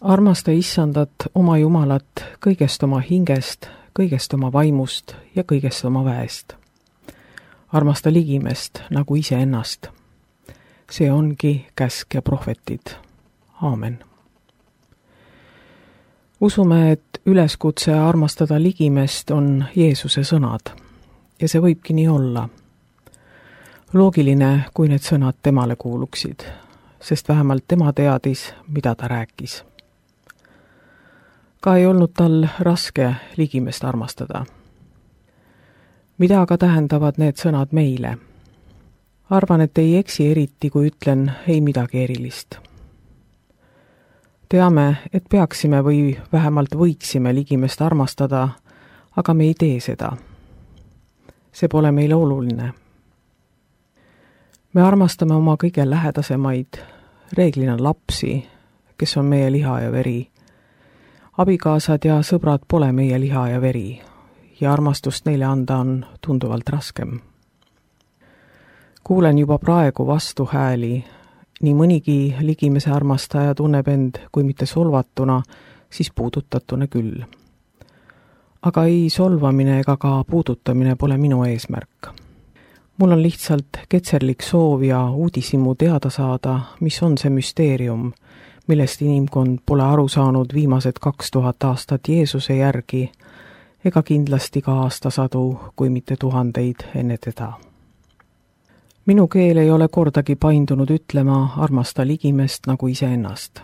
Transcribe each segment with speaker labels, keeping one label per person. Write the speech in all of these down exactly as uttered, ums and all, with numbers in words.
Speaker 1: Armasta issandat, oma Jumalat, kõigest oma hingest, kõigest oma vaimust ja kõigest oma väest. Armasta ligimest nagu iseennast. See ongi käsk ja prohvetid. Aamen. Usume, et üleskutse armastada ligimest on Jeesuse sõnad ja see võibki nii olla. Loogiline, kui need sõnad temale kuuluksid, sest vähemalt tema teadis, mida ta rääkis. Ka ei olnud tal raske ligimest armastada. Mida aga tähendavad need sõnad meile? Arvan, et ei eksi eriti, kui ütlen ei midagi erilist. Teame, et peaksime või vähemalt võiksime ligimest armastada, aga me ei tee seda. See pole meile oluline. Me armastame oma kõige lähedasemaid, reeglina lapsi, kes on meie liha ja veri. Abikaasad ja sõbrad pole meie liha ja veri ja armastust neile anda on tunduvalt raskem. Kuulen juba praegu vastu hääli, nii mõnigi ligimese armastaja tunneb end, kui mitte solvatuna, siis puudutatuna küll. Aga ei solvamine ega ka puudutamine pole minu eesmärk. Mul on lihtsalt ketserlik soov ja uudishimu teada saada, mis on see müsteerium, millest inimkond pole aru saanud viimased kaks tuhat aastat Jeesuse järgi, ega kindlasti ka aastasadu, kui mitte tuhandeid enne teda. Minu keel ei ole kordagi paindunud ütlema armasta ligimest nagu iseennast.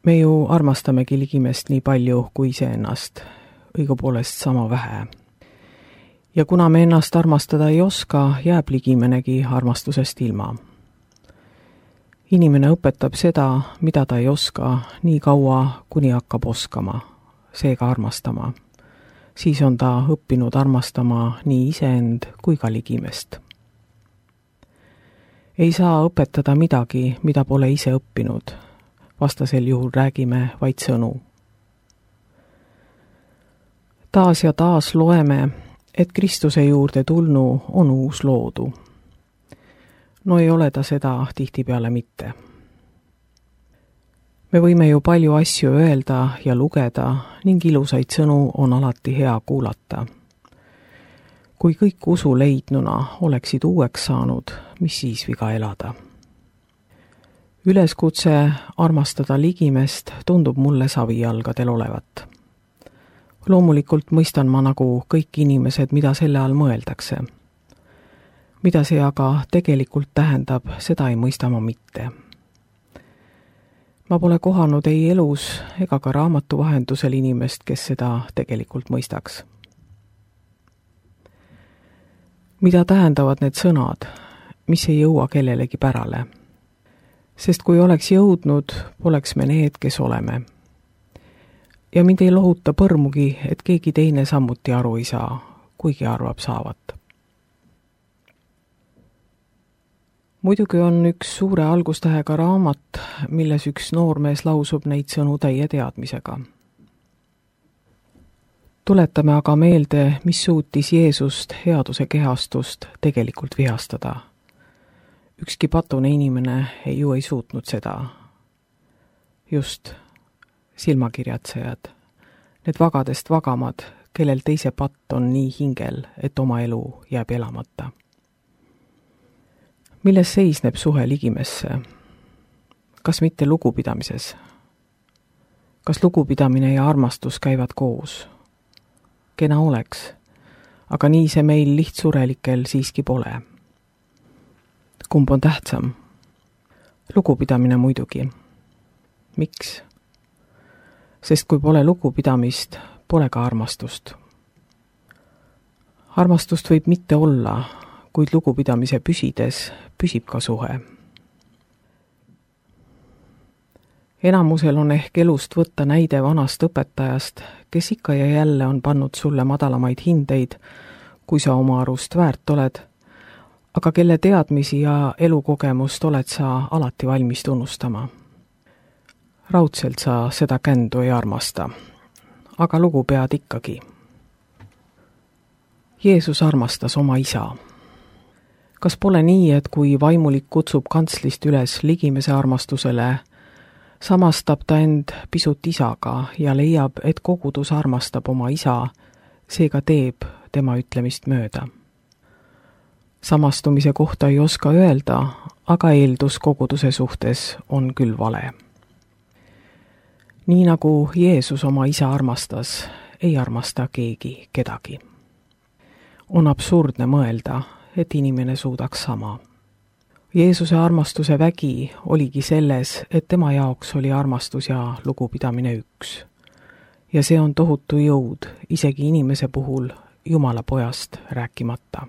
Speaker 1: Me ju armastamegi ligimest nii palju kui iseennast, õigupoolest sama vähe. Ja kuna me ennast armastada ei oska, jääb ligimenegi armastusest ilma. Inimene õpetab seda, mida ta ei oska, nii kaua, kuni hakkab oskama, seega armastama. Siis on ta õppinud armastama nii iseend kui ka ligimest. Ei saa õpetada midagi, mida pole ise õppinud. Vastasel juhul räägime vaid sõnu. Taas ja taas loeme, et Kristuse juurde tulnu on uus loodu. No ei ole ta seda tihtipeale mitte. Me võime ju palju asju öelda ja lugeda ning ilusaid sõnu on alati hea kuulata. Kui kõik usu leidnuna oleksid uueks saanud, mis siis viga elada? Üleskutse armastada ligimest tundub mulle savijalgadel olevat. Loomulikult mõistan ma nagu kõik inimesed, mida selle all mõeldakse. Mida see aga tegelikult tähendab, seda ei mõista ma mitte. Ma pole kohanud ei elus ega ka raamatu vahendusel inimest, kes seda tegelikult mõistaks. Mida tähendavad need sõnad, mis ei jõua kellelegi pärale? Sest kui oleks jõudnud, poleks me need, kes oleme. Ja mind ei lohuta põrmugi, et keegi teine samuti aru ei saa, kuigi arvab saavat. Muidugi on üks suure algustähega raamat, milles üks noormees lausub neid sõnu täie teadmisega. Tuletame aga meelde, mis suutis Jeesust headuse kehastust tegelikult vihastada. Ükski patune inimene ei ju ei suutnud seda. Just silmakirjatsejad, need vagadest vagamad, kellel teise patt on nii hingel, et oma elu jääb elamata. Milles seisneb suhe ligimesse? Kas mitte lugupidamises? Kas lugupidamine ja armastus käivad koos? Kena oleks, aga nii see meil lihtsurelikel siiski pole. Kumb on tähtsam? Lugupidamine muidugi. Miks? Sest kui pole lugupidamist, pole ka armastust. Armastust võib mitte olla, kuid lugupidamise püsides püsib ka suhe. Enamusel on ehk elust võtta näide vanast õpetajast, kes ikka ja jälle on pannud sulle madalamaid hindeid, kui sa oma arust väärt oled, aga kelle teadmisi ja elukogemust oled sa alati valmis tunnustama. Raudselt sa seda kändu ei armasta, aga lugu pead ikkagi. Jeesus armastas oma isa. Kas pole nii, et kui vaimulik kutsub kantslist üles ligimese armastusele, samastab ta end pisut isaga ja leiab, et kogudus armastab oma isa, seega teeb tema ütlemist mööda. Samastumise kohta ei oska öelda, aga eeldus koguduse suhtes on küll vale. Nii nagu Jeesus oma isa armastas, ei armasta keegi kedagi. On absurdne mõelda, et inimene suudaks sama. Jeesuse armastuse vägi oligi selles, et tema jaoks oli armastus ja lugupidamine üks. Ja see on tohutu jõud, isegi inimese puhul Jumala pojast rääkimata.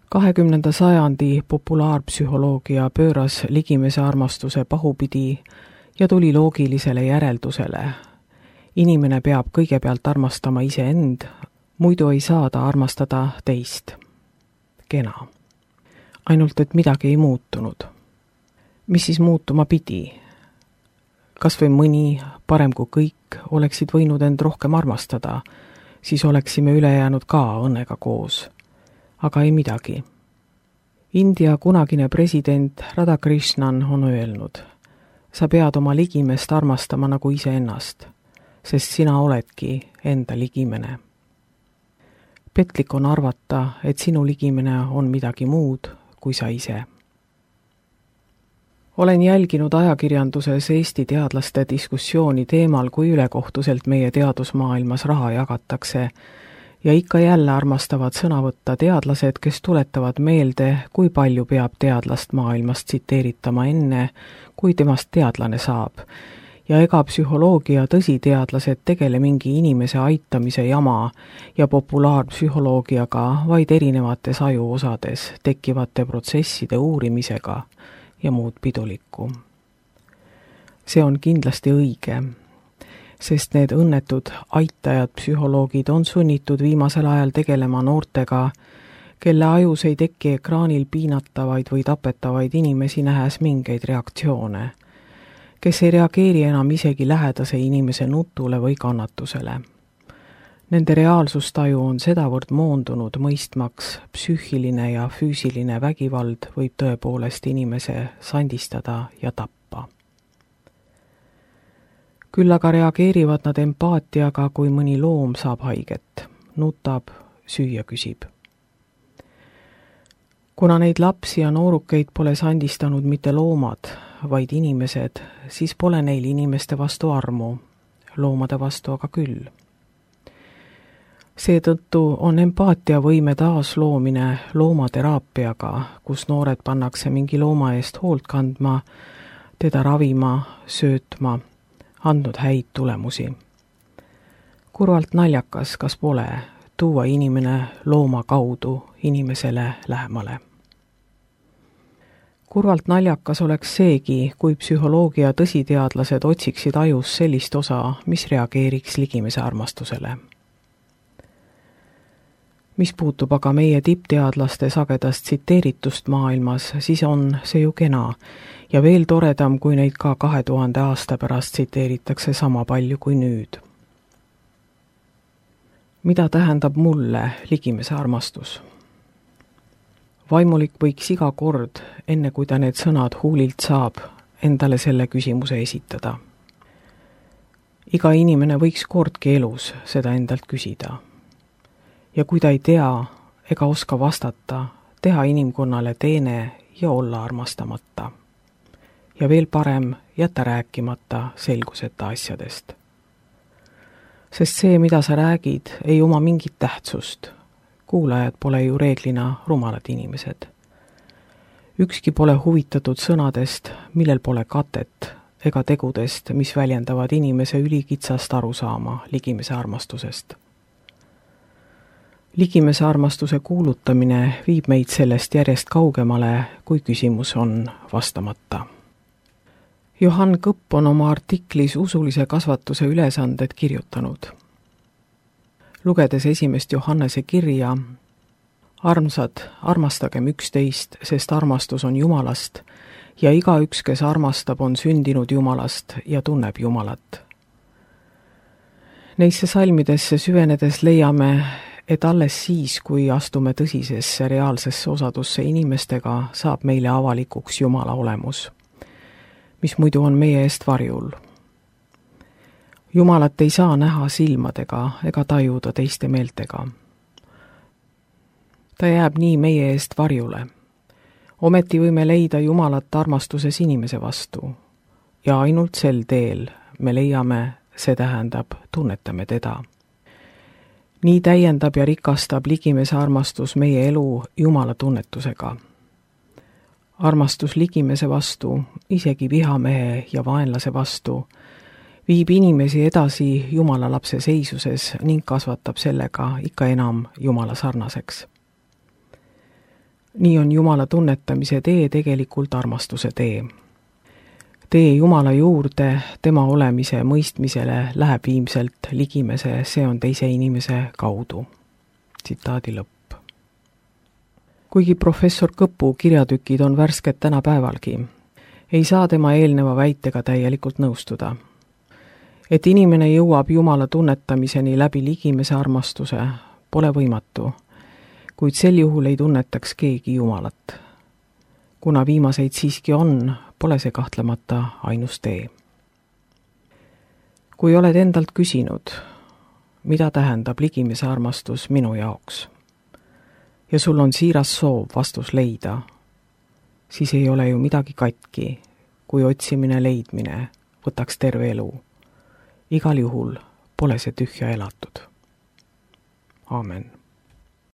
Speaker 1: kahekümnenda sajandi populaarpsühholoogia pööras ligimese armastuse pahupidi ja tuli loogilisele järeldusele. Inimene peab kõigepealt armastama iseend, muidu ei saa ta armastada teist. Kena. Ainult, et midagi ei muutunud. Mis siis muutuma pidi? Kas või mõni, parem kui kõik, oleksid võinud end rohkem armastada, siis oleksime ülejäänud ka õnnega koos. Aga ei midagi. India kunagine president Radhakrishnan on öelnud, sa pead oma ligimest armastama nagu iseennast, sest sina oledki enda ligimene. Petlik on arvata, et sinu ligimene on midagi muud kui sa ise. Olen jälginud ajakirjanduses Eesti teadlaste diskussiooni teemal, kui ülekohtuselt meie teadusmaailmas raha jagatakse, ja ikka jälle armastavad sõna võtta teadlased, kes tuletavad meelde, kui palju peab teadlast maailmast tsiteeritama enne, kui temast teadlane saab. Ja ega psühholoogia tõsiteadlased tegele mingi inimese aitamise jama ja populaarpsühholoogiaga, vaid erinevates ajuosades tekkivate protsesside uurimisega ja muud pidulikku. See on kindlasti õige, sest need õnnetud aitajad psühholoogid on sunnitud viimasel ajal tegelema noortega, kelle ajus ei teki ekraanil piinatavaid või tapetavaid inimesi nähes mingeid reaktsioone, kes ei reageeri enam isegi lähedase inimese nutule või kannatusele. Nende reaalsustaju on sedavõrd moondunud mõistmaks, psüühiline ja füüsiline vägivald võib tõepoolest inimese sandistada ja tappa. Küll aga reageerivad nad empaatiaga, kui mõni loom saab haiget, nutab, süüa küsib. Kuna neid lapsi ja noorukeid pole sandistanud mitte loomad, vaid inimesed, siis pole neil inimeste vastu armu, loomade vastu aga küll. Seetõttu on empaatiavõime taasloomine loomateraapiaga, kus noored pannakse mingi looma eest hoolt kandma, teda ravima, söötma, andnud häid tulemusi. Kurvalt naljakas, kas pole, tuua inimene looma kaudu inimesele lähemale. Kurvalt naljakas oleks seegi, kui psühholoogia tõsiteadlased otsiksid ajus sellist osa, mis reageeriks ligimese armastusele. Mis puutub aga meie tippteadlaste sagedast tsiteeritust maailmas, siis on see ju kena ja veel toredam, kui neid ka kahe tuhande aasta pärast tsiteeritakse sama palju kui nüüd. Mida tähendab mulle ligimese armastus? Vaimulik võiks iga kord, enne kui ta need sõnad huulilt saab, endale selle küsimuse esitada. Iga inimene võiks kordki elus seda endalt küsida. Ja kui ta ei tea ega oska vastata, teha inimkonnale teene ja olla armastamata. Ja veel parem jätta rääkimata selguseta asjadest. Sest see, mida sa räägid, ei oma mingit tähtsust. Kuulajad pole ju reeglina rumalad inimesed. Ükski pole huvitatud sõnadest, millel pole katet, ega tegudest, mis väljendavad inimese ülikitsast arusaama ligimese armastusest. Ligimese armastuse kuulutamine viib meid sellest järjest kaugemale, kui küsimus on vastamata. Johann Kõpp on oma artiklis usulise kasvatuse ülesanded kirjutanud. Lugedes esimest Johannese kirja, armsad, armastagem üksteist, sest armastus on Jumalast ja igaüks, kes armastab, on sündinud Jumalast ja tunneb Jumalat. Neisse salmidesse süvenedes leiame, et alles siis, kui astume tõsisesse reaalsesse osadusse inimestega, saab meile avalikuks Jumala olemus. mis muidu on meie eest varjul. Jumalat ei saa näha silmadega ega tajuda teiste meeltega. Ta jääb nii meie eest varjule. Ometi võime leida Jumalat armastuses inimese vastu ja ainult sel teel me leiame, see tähendab, tunnetame teda. Nii täiendab ja rikastab ligimese armastus meie elu Jumala tunnetusega. Armastus ligimese vastu, isegi vihamehe ja vaenlase vastu, viib inimesi edasi Jumala lapse seisuses ning kasvatab sellega ikka enam Jumala sarnaseks. Nii on Jumala tunnetamise tee tegelikult armastuse tee. Tee Jumala juurde, tema olemise mõistmisele läheb viimselt ligimese, see on teise inimese kaudu. Tsitaadi lõpp. Kuigi professor Kõpu kirjatükid on värsked tänapäevalgi, ei saa tema eelneva väitega täielikult nõustuda. Et inimene jõuab Jumala tunnetamiseni läbi ligimese armastuse, pole võimatu, kuid sel juhul ei tunnetaks keegi Jumalat. Kuna viimaseid siiski on, pole see kahtlemata ainus tee. Kui oled endalt küsinud, mida tähendab ligimese armastus minu jaoks, ja sul on siiras soov vastus leida, siis ei ole ju midagi katki, kui otsimine leidmine võtaks terve elu. Igal juhul pole see tühja elatud. Aamen.